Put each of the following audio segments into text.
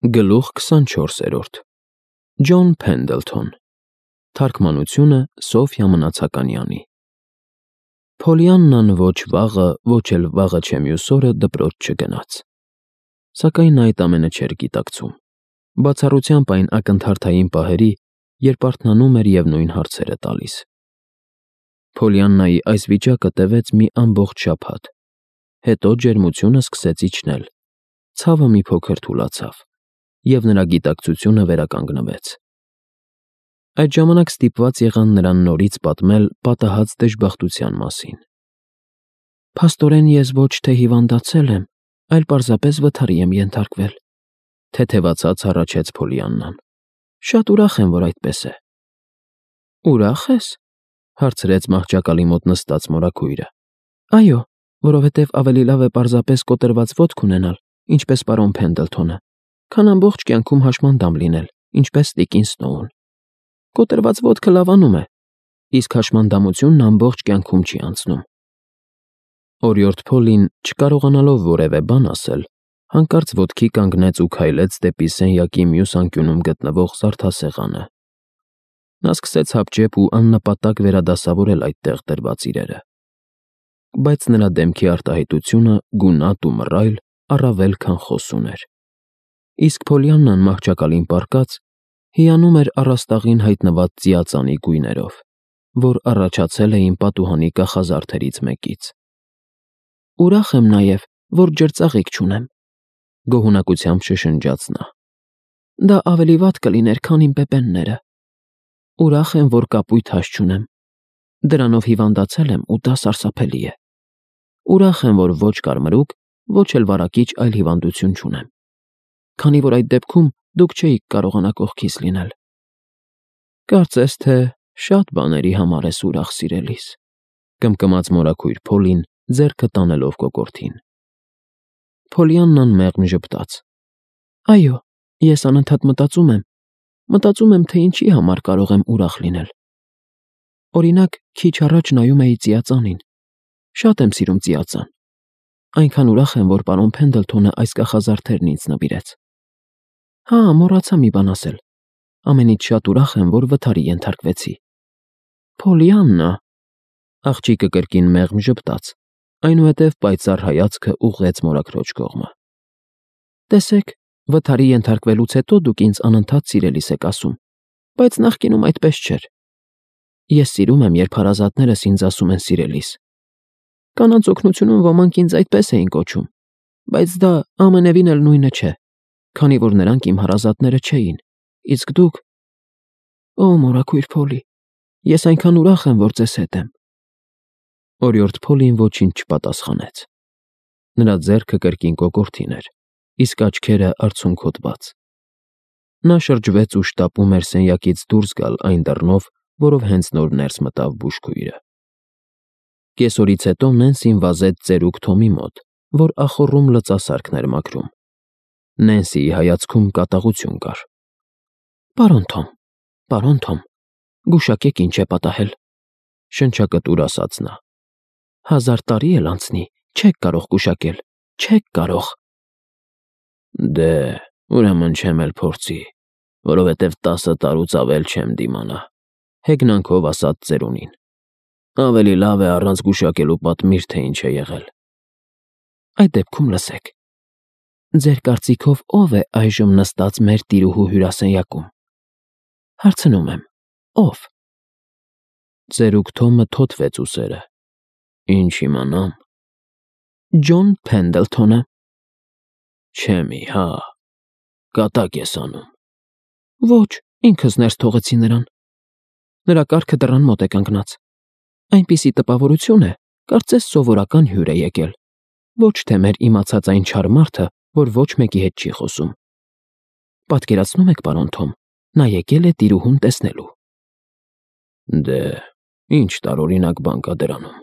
Գլուխ 24. Ջոն Փենդլթոն Թարգմանությունը Սոֆյա Մնացականյանի Փոլիաննան ոչ վաղը, ոչ էլ վաղը չէ մյուս օրը դպրոց չգնաց։ Սակայն նա այդ ամենը չէր գիտակցում։ Բացառությամբ այն ակնթարթային պահերի, երբ արթնանում էր և նույն հարցերը տալիս։ Փոլիաննայի այս վիճակը տևեց մի ամբողջ շաբաթ, հետո ջերմությունը սկսեց իջնել, ցավը մի փոքր թուլացավ, և նրա գիտակցությունը վերականգնվեց։ Այդ ժամանակ ստիպված եղան նրան նորից պատմել պատահած դժբախտության մասին։ Փաստորեն ես ոչ թե հիվանդացել եմ, այլ պարզապես վթարի եմ ենթարկվել, թեթևացած հառաչեց Փոլիաննան։ Շատ ուրախ եմ, որ այդպես է։ Ուրախ ես, հարցրեց մահճակալի մոտ նստած մորաքույրը։ Այո, որովհետև ավելի լավ է պարզապես կոտրված ոտք ունենալ, ինչպես պարոն Փենդլթոնը, քան ամբողջ կյանքում հաշմանդամ լինել, ինչպես տիկին Սնոուն։ Կոտրված ոտքը լավանում է, իսկ հաշմանդամությունն ամբողջ կյանքում չի անցնում։ Օրիորդ Փոլին, չկարողանալով որևէ բան ասել, հանկարծ ոտքի կանգնեց ու քայլեց դեպի սենյակի մյուս անկյունում գտնվող զարդասեղանը։ Նա սկսեց հապճեպ ու աննպատակ վերադասավորել այդտեղ դրված իրերը։ Բայց նրա դեմքի արտահայտությունը, գունատ ու մռայլ, առավել քան խոսուն էր։ Իսկ Փոլիաննան մահճակալին պառկած, հիանում էր առաստաղին հայտնված ծիածանի գույներով, որ առաջացել էին պատուհանի կախազարդերից մեկից։ Ուրախ եմ նաև, որ ջրծաղիկ չունեմ, գոհունակությամբ շշնջաց նա։ Դա ավելի վատ կլիներ, քան իմ պեպենները։ Ուրախ եմ, որ կապույտ հաշ չունեմ։ Դրանով հիվանդացել եմ ու դա սարսափելի է։ Ուրախ եմ, որ ոչ կարմրուկ, ոչ էլ վարակիչ այլ հիվանդություն չունեմ, քանի որ այդ դեպքում դուք չէիք կարողանա կողքիս լինել։ Կարծես թե շատ բաների համար ես ուրախ, սիրելիս, կմկմաց մորաքույր Փոլին, ձեռքը տանելով կոկորդին։ Փոլիաննան մեղմ ժպտաց։ Այո, ես անընդհատ մտածում եմ, թե ինչի համար կարող եմ ուրախ լինել։ Օրինակ, քիչ առաջ նայում էի ծիածանին։ Շատ եմ սիրում ծիածան։ Այնքան ուրախ եմ, որ պարոն Փենդլթոնը այս կախազարդերն ինձ նվիրեց։ Հա, մոռացա մի բան ասել։ Ամենից շատ ուրախ եմ, որ վթարի ենթարկվեցի։ Փոլիաննա, աղջիկը կրկին մեղմ ժպտաց, այնուհետև պայծառ հայացքը ուղղեց մորաքրոջ կողմը։ Տեսեք, վթարի ենթարկվելուց հետո դուք ինձ անընդհատ սիրելիս եք ասում, բայց նախկինում այդպես չէր։ Ես սիրում եմ, երբ հարազատներս ինձ ասում են սիրելիս։ Կանանց օգնությունում ոմանք ինձ այդպես էին կոչում, բայց դա ամենևին էլ նույնը չէ, քանի որ նրանք իմ հարազատները չէին, իսկ դուք… Օ, մորաքույր Փոլի, ես այնքան ուրախ եմ, որ ձեզ հետ եմ։ Օրիորդ Փոլին ոչինչ չպատասխանեց։ Նրա ձեռքը կրկին կոկորդին էր, իսկ աչքերը արցունքոտված։ Նա շրջվեց ու շտապում էր սենյակից դուրս գալ այն դռնով, որով հենց նոր ներս մտավ բուժքույրը։ Կեսօրից հետո Նենսին վազեց ծերուկ Թոմի մոտ, որ ախոռում լծասարքն էր մաքրում։ Նենսիի հայացքում կատաղություն կար։ Պարոն Թոմ, գուշակեք ինչ է պատահել, շնչակտուր ասաց նա։ 1000 տարի էլ անցնի, չեք կարող գուշակել, չեք կարող։ Դե, ուրեմն չեմ էլ փորձի, որովհետև 10 տարուց ավել չեմ դիմանա, հեգնանքով ասաց ծերունին։ Ավելի լավ է առանց գուշակելու պատմիր, թե ինչ է եղել։ Այդ դեպքում լսեք։ Ձեր կարծիքով ով է այժմ նստած մեր տիրուհու հյուրասենյակում։ Հարցնում եմ, ով։ Ծերուկ Թոմը թոթվեց ուսերը։ Ինչ իմանամ։ Ջոն Փենդլթոնը։ Չեմի, հա, կատակ ես անում։ Ոչ, ինքս ներս թողեցի նրան։ Նրա կառքը դռան մոտ է կանգնած։ Այնպիսի տպավորություն է, կարծես սովորական հյուր է եկել, ոչ թե մեր իմացած այն չար մարդը, որ ոչ մեկի հետ չի խոսում։ Պատկերացնում եք, պարոն Թոմ, նա եկել է տիրուհուն տեսնելու։ Դե, ինչ տարօրինակ բան կա դրանում։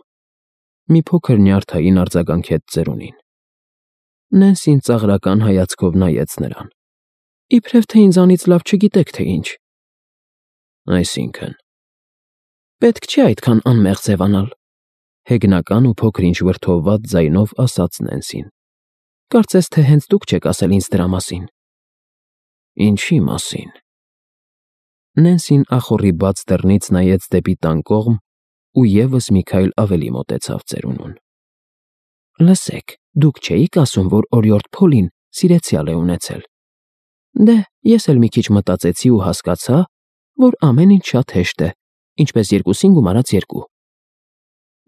Մի փոքր նյարդային արձագանքեց ծերունին։ Նենսին ծաղրական հայացքով նայեց նրան։ Իբրև թե ինձանից լավ չգիտեք, թե ինչ։ Այսինքն… Պետք չէ այդքան անմեղ ձևանալ, հեգնական ու փոքր-ինչ վրդովված ձայնով ասաց Նենսին։ Կարծես թե հենց դուք չեք ասել ինձ դրա մասին։ Ինչի մասին։ Նենսին ախորի բաց դռնից նայեց դեպի տան կողմ ու եւս մի քայլ ավելի մոտեցավ ծերունուն։ Լսեք, դուք չէիք ասում, որ օրիորդ Փոլին սիրեցյալ է ունեցել։ Դե, ես էլ մի քիչ մտածեցի ու հասկացա, որ ամեն ինչ շատ հեշտ է, ինչպես 2-ին գումարած 2։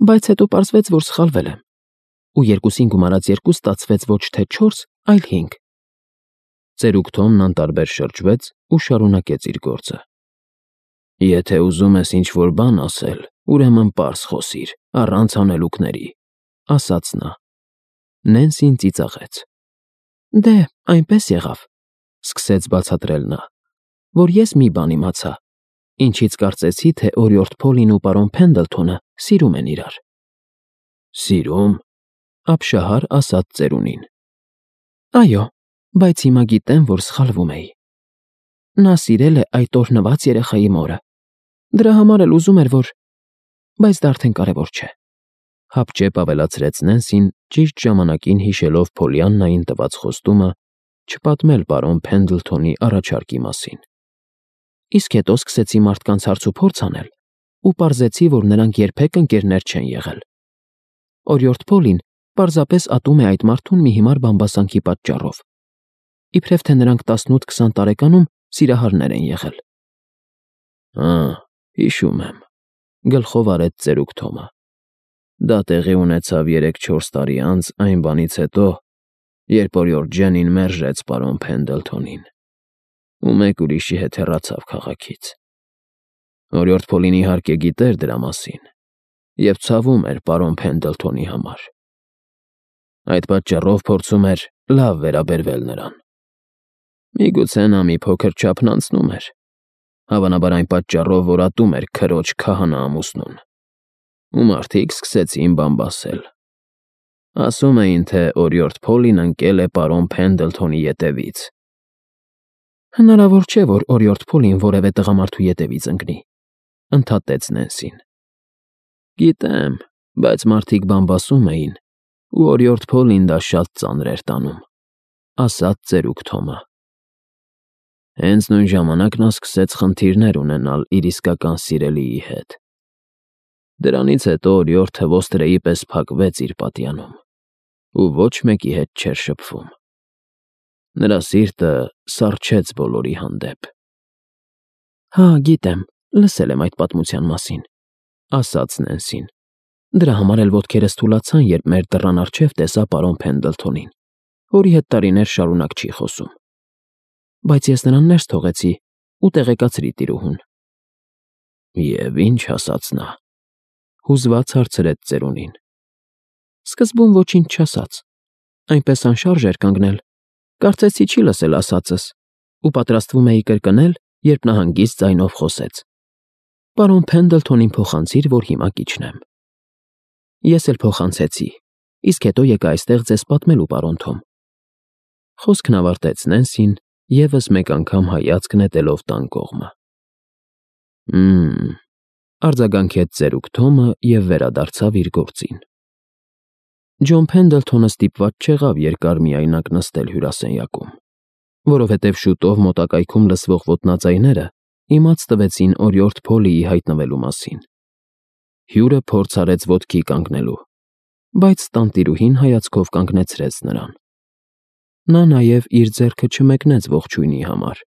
Բայց հետո պարզվեց, որ սխալվել եմ, ու 2-ին գումարած 2 ստացվեց ոչ թե 4, այլ 5։ Ծերուկ Թոմն անտարբեր շրջվեց ու շարունակեց իր գործը։ Եթե ուզում ես ինչ-որ բան ասել, ուրեմն պարզ խոսիր, առանց հանելուկների, ասաց նա։ Նենսին ծիծաղեց։ Դե, այնպես եղավ, սկսեց բացատրել նա, որ ես մի բան իմացա, ինչից կարծեցի, թե օրիորդ Փոլին ու պարոն Փենդլթոնը սիրում են իրար։ Սիրում, ապշահար ասաց ծերունին։ Այո, բայց հիմա գիտեմ, որ սխալվում էի։ Նա սիրել է այդ օրհնված երեխայի մորը։ Դրա համար էլ ուզում էր, որ… Բայց դա արդեն կարևոր չէ։ Հապճեպ ավելացրեց Նենսին, ճիշտ ժամանակին հիշելով Փոլիաննային տված խոստումը չպատմել պարոն Փենդլթոնի առաջարկի մասին։ Իսկ հետո սկսեցի մարդկանց հարցուփորձ անել ու պարզեցի, որ նրանք երբեք ընկերներ չեն եղել։ Օրիորդ Փոլին պարզապես ատում է այդ մարդուն մի հիմար բամբասանքի պատճառով։ Իբրև թե նրանք 18-20 տարեկանում սիրահարներ են եղել։ Հիշում եմ, գլխով արեց ծերուկ Թոմը։ Դա տեղի ունեցավ 3-4 տարի անց այն բանից հետո, երբ օրիորդ Ջենին մերժեց պարոն Փենդլթոնին ու մեկ ուրիշի հետ հեռացավ քաղաքից։ Օրիորդ Փոլին իհարկե գիտեր դրա մասին և ցավում էր պարոն Փենդլթոնի համար։ Այդ պատճառով փորձում էր լավ վերաբերվել նրան։ Միգուցե նա մի փոքր չափն անցնում էր, հավանաբար այն պատճառով, որ ատում էր քրոջ քահանա ամուսնուն, ու մարդիկ սկսեցին բամբասել։ Ասում էին, թե օրիորդ Փոլին ընկել է պարոն Փենդլթոնի ետևից։ Հնարավոր չէ, որ օրիորդ Փոլին որևէ տղամարդու ետևից ընկնի, ընդհատեց Նենսին։ Գիտեմ, բայց մարդիկ բամբասում էին, ու օրիորդ Փոլին դա շատ ծանր էր տանում, ասաց ծերուկ Թոմը։ Հենց նույն ժամանակ նա սկսեց խնդիրներ ունենալ իր իսկական սիրելիի հետ։ Դրանից հետո օրիորդը ոստրեի պես փակվեց իր պատյանում ու ոչ մեկի հետ չէր շփվում։ Նրա սիրտը սառչեց բոլորի հանդեպ։ Հա, գիտեմ, լսել եմ այդ պատմության մասին, ասաց Նենսին։ Դրա համար էլ ոտքերս թուլացան, երբ մեր դռան առջև տեսա պարոն Փենդլթոնին, որի հետ տարիներ շարունակ չի խոսում։ Բայց ես նրան ներս թողեցի ու տեղեկացրի տիրուհուն։ Եվ ինչ ասաց նա, հուզված հարցրեց ծերունին։ Սկզբում ոչինչ չասաց, այնպես անշարժ էր կանգնել, կարծեցի չի լսել ասածս ու պատրաստվում էի կրկնել, երբ նա հանգիստ ձայնով խոսեց. Պարոն Փենդլթոնին փոխանցիր, որ հիմա կիջնեմ։ Ես էլ փոխանցեցի, իսկ հետո եկա այստեղ ձեզ պատմելու, պարոն Թոմ։ Խոսքն ավարտեց Նենսին, եւս մեկ անգամ հայացք նետելով տան կողմը։ Արձագանքեց ծերուկ Թոմը և վերադարձավ իր գործին։ Ջոն Փենդլթոնը ստիպված չեղավ երկար միայնակ նստել հյուրասենյակում, որովհետև շուտով մոտակայքում լսվող ոտնաձայները իմաց տվեցին օրիորդ Փոլիի հայտնվելու մասին։ Հյուրը փորձ արեց ոտքի կանգնելու, բայց տանտիրուհին հայացքով կանգնեցրեց նրան։ Նա նաև իր ձեռքը չմեկնեց ողջույնի համար,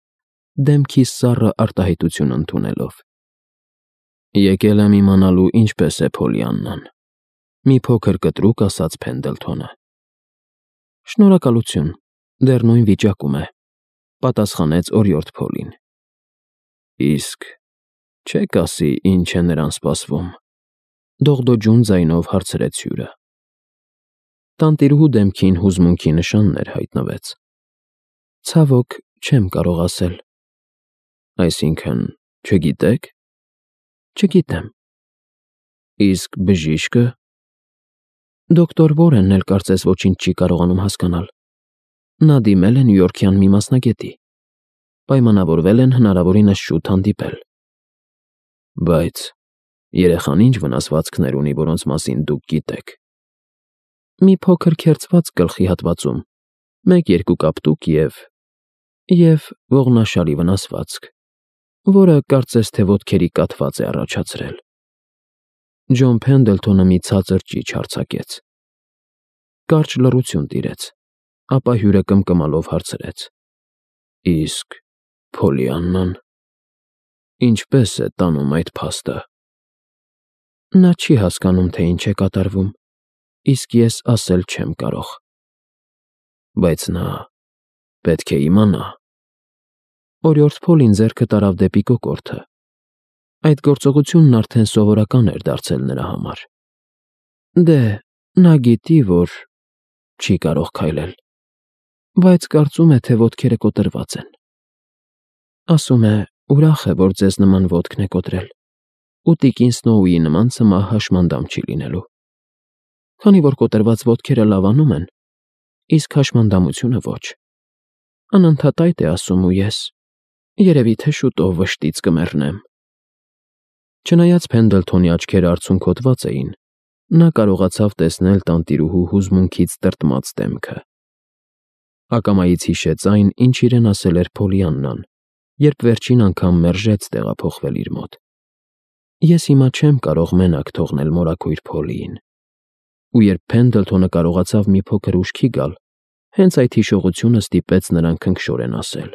դեմքի սառը արտահայտություն ընդունելով։ Եկել եմ իմանալու ինչպես է Փոլիաննան, մի փոքր կտրուկ ասաց Փենդլթոնը։ Շնորհակալություն, դեռ նույն վիճակում է, պատասխանեց օրիորդ Փոլին։ Իսկ չեք ասի ինչ է նրան սպասվում, դողդոջուն ձայնով հարցրեց հյուրը։ Տանտիրուհու դեմքին հուզմունքի նշաններ հայտնվեց։ Ցավոք, չեմ կարող ասել։ Այսինքն, չգիտեք։ Չգիտեմ։ Իսկ բժիշկը… Դոկտոր Վորենն էլ կարծես ոչինչ չի կարողանում հասկանալ։ Նա դիմել է նյույորքյան մի մասնագետի։ Պայմանավորվել են հնարավորինս շուտ հանդիպել։ Բայց երեխան ինչ վնասվածքներ ունի, որոնց մասին դուք գիտեք։ Մի փոքր քերծված գլխի հատվածում, 1-2 կապտուկ և… և ողնաշարի վնասվածք, որը կարծես թե ոտքերի կաթված է առաջացրել։ Ջոն Փենդլթոնը մի ցածր ճիչ արձակեց։ Կարճ լռություն տիրեց, ապա հյուրը կմկմալով հարցրեց. Իսկ Փոլիաննան ինչպես է տանում այդ փաստը։ Նա չի հասկանում, թե ինչ է կատարվում, իսկ ես ասել չեմ կարող։ Բայց նա պետք է իմանա։ Օրիորդ Փոլին ձեռքը տարավ դեպի կոկորդը։ Այդ գործողությունն արդեն սովորական էր դարձել նրա համար։ Դե, նա գիտի, որ չի կարող քայլել, բայց կարծում է, թե ոտքերը կոտրված են։ Ասում է, ուրախ է, որ ձեզ նման ոտքն է կոտրել, ու տիկին Սնոուի նման ցմահ հաշմանդամ չի լինելու։ Քանի որ կոտրված ոտքերը լավանում են, իսկ հաշմանդամությունը ոչ։ Անընդհատ այդ է ասում ու ես, երևի թե շուտով վշտից կմեռնեմ։ Չնայած Փենդլթոնի աչքերը արցունքոտված էին, նա կարողացավ տեսնել տանտիրուհու հուզմունքից տրտմած դեմքը։ Ակամայից հիշեց այն, ինչ իրեն ասել էր Փոլիաննան, երբ վերջին անգամ մերժեց տեղափոխվել իր մոտ։ Ես հիմա չեմ կարող մենակ թողնել մորաքույր Փոլիին։ Ու երբ Փենդլթոնը կարողացավ մի փոքր ուշքի գալ, հենց այդ հիշողությունը ստիպեց նրան քնքշորեն ասել.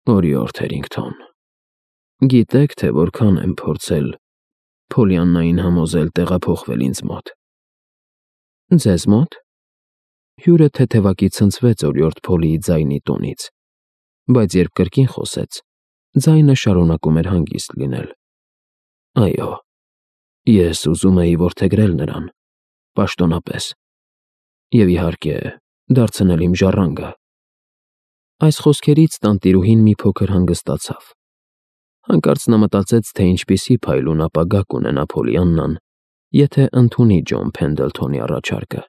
Օրիորդ Հերինգթոն, գիտեք, թե որքան եմ փորձել Փոլիաննային համոզել տեղափոխվել ինձ մոտ։ Ձեզ մոտ։ Հյուրը թեթևակի ցնցվեց օրիորդ Փոլիի ձայնի տոնից, բայց երբ կրկին խոսեց, ձայնը շարունակում էր հանգիստ լինել։ Այո, ես ուզում էի որդեգրել նրան, պաշտոնապես, և իհարկե դարձնել իմ ժառանգը։ Այս խոսքերից տանտիրուհին մի փոքր հանգստացավ։ Հանկարծ նա մտածեց, թե ինչպիսի փայլուն ապագա կունենա Փոլիաննան, եթե ընդունի Ջոն Փենդլթոնի առաջարկը։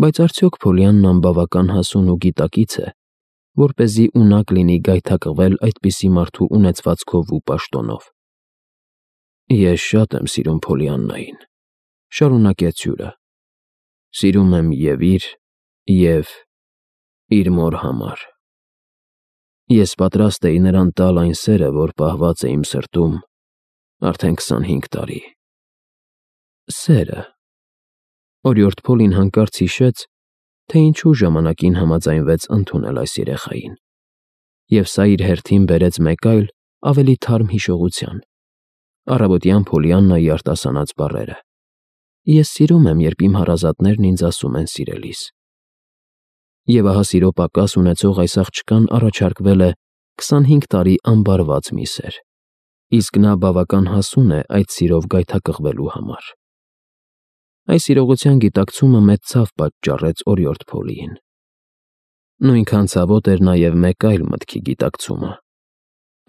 Բայց արդյոք Փոլիաննան բավական հասուն ու գիտակից է, որպեսզի ունակ լինի գայթակղվել այդպիսի մարդու ունեցվածքով ու պաշտոնով։ Ես շատ եմ սիրում Փոլիաննային, շարունակեց հյուրը։ Սիրում եմ և իր մոր համար։ Ես պատրաստ էի նրան տալ այն սերը, որ պահված է իմ սրտում արդեն 25 տարի։ Սերը։ Օրիորդ Փոլին հանկարծ հիշեց, թե ինչու ժամանակին համաձայնվեց ընդունել այս երեխային, և սա իր հերթին բերեց մեկ այլ, ավելի թարմ հիշողության. առավոտյան Փոլիաննայի արտասանած բառերը. Ես սիրում եմ, երբ իմ հարազատներն ինձ ասում են սիրելիս։ Եվ ահա սիրո պակաս ունեցող այս աղջկան առաջարկվել է 25 տարի ամբարված մի սեր, իսկ նա բավական հասուն է այդ սիրով գայթակղվելու համար։ Այս իրողության գիտակցումը մեծ ցավ պատճառեց օրիորդ Փոլիին։ Նույնքան ցավոտ էր նաև մեկ այլ մտքի գիտակցումը։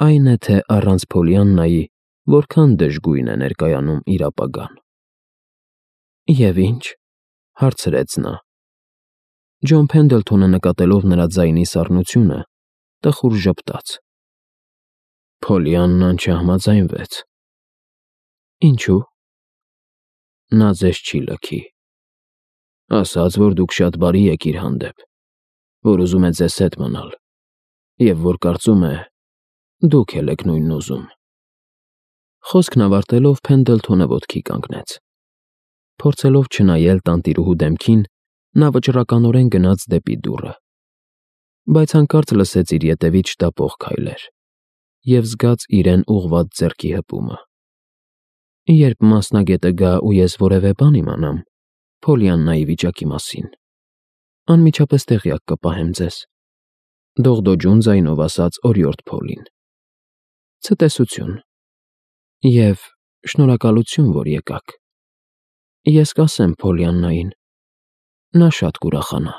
Այն է, թե առանց Փոլիաննայի որքան դժգույն է ներկայանում իր ապագան։ Եվ ինչ, հարցրեց նա։ Ջոն Փենդլթոնը նկատելով նրա ձայնի սառնությունը, տխուր ժպտաց։ Փոլիաննան չհամաձայնվեց։ Ինչու։ Նա ձեզ չի լքի։ Ասաց, որ դուք շատ բարի եք իր հանդեպ, որ ուզում է ձեզ հետ մնալ, և որ կարծում է, դուք էլ եք նույնն ուզում։ Խոսքն ավարտելով Փենդլթոնը ոտքի կանգնեց։ Փորձելով չնայել տանտիրուհու դեմքին, նա վճռականորեն գնաց դեպի դուռը։ Բայց հանկարծ լսեց իր ետևից շտապող քայլեր և զգաց իրեն ուղղված ձեռքի հպումը։ Երբ մասնագետը գա ու ես որևէ բան իմանամ Փոլիաննայի վիճակի մասին, անմիջապես տեղյակ կպահեմ ձեզ, դողդոջուն ձայնով ասաց օրիորդ Փոլին։ Ցտեսություն և շնորհակալություն, որ եկաք։ Ես կասեմ Փոլիաննային, նա շատ կուրախանա։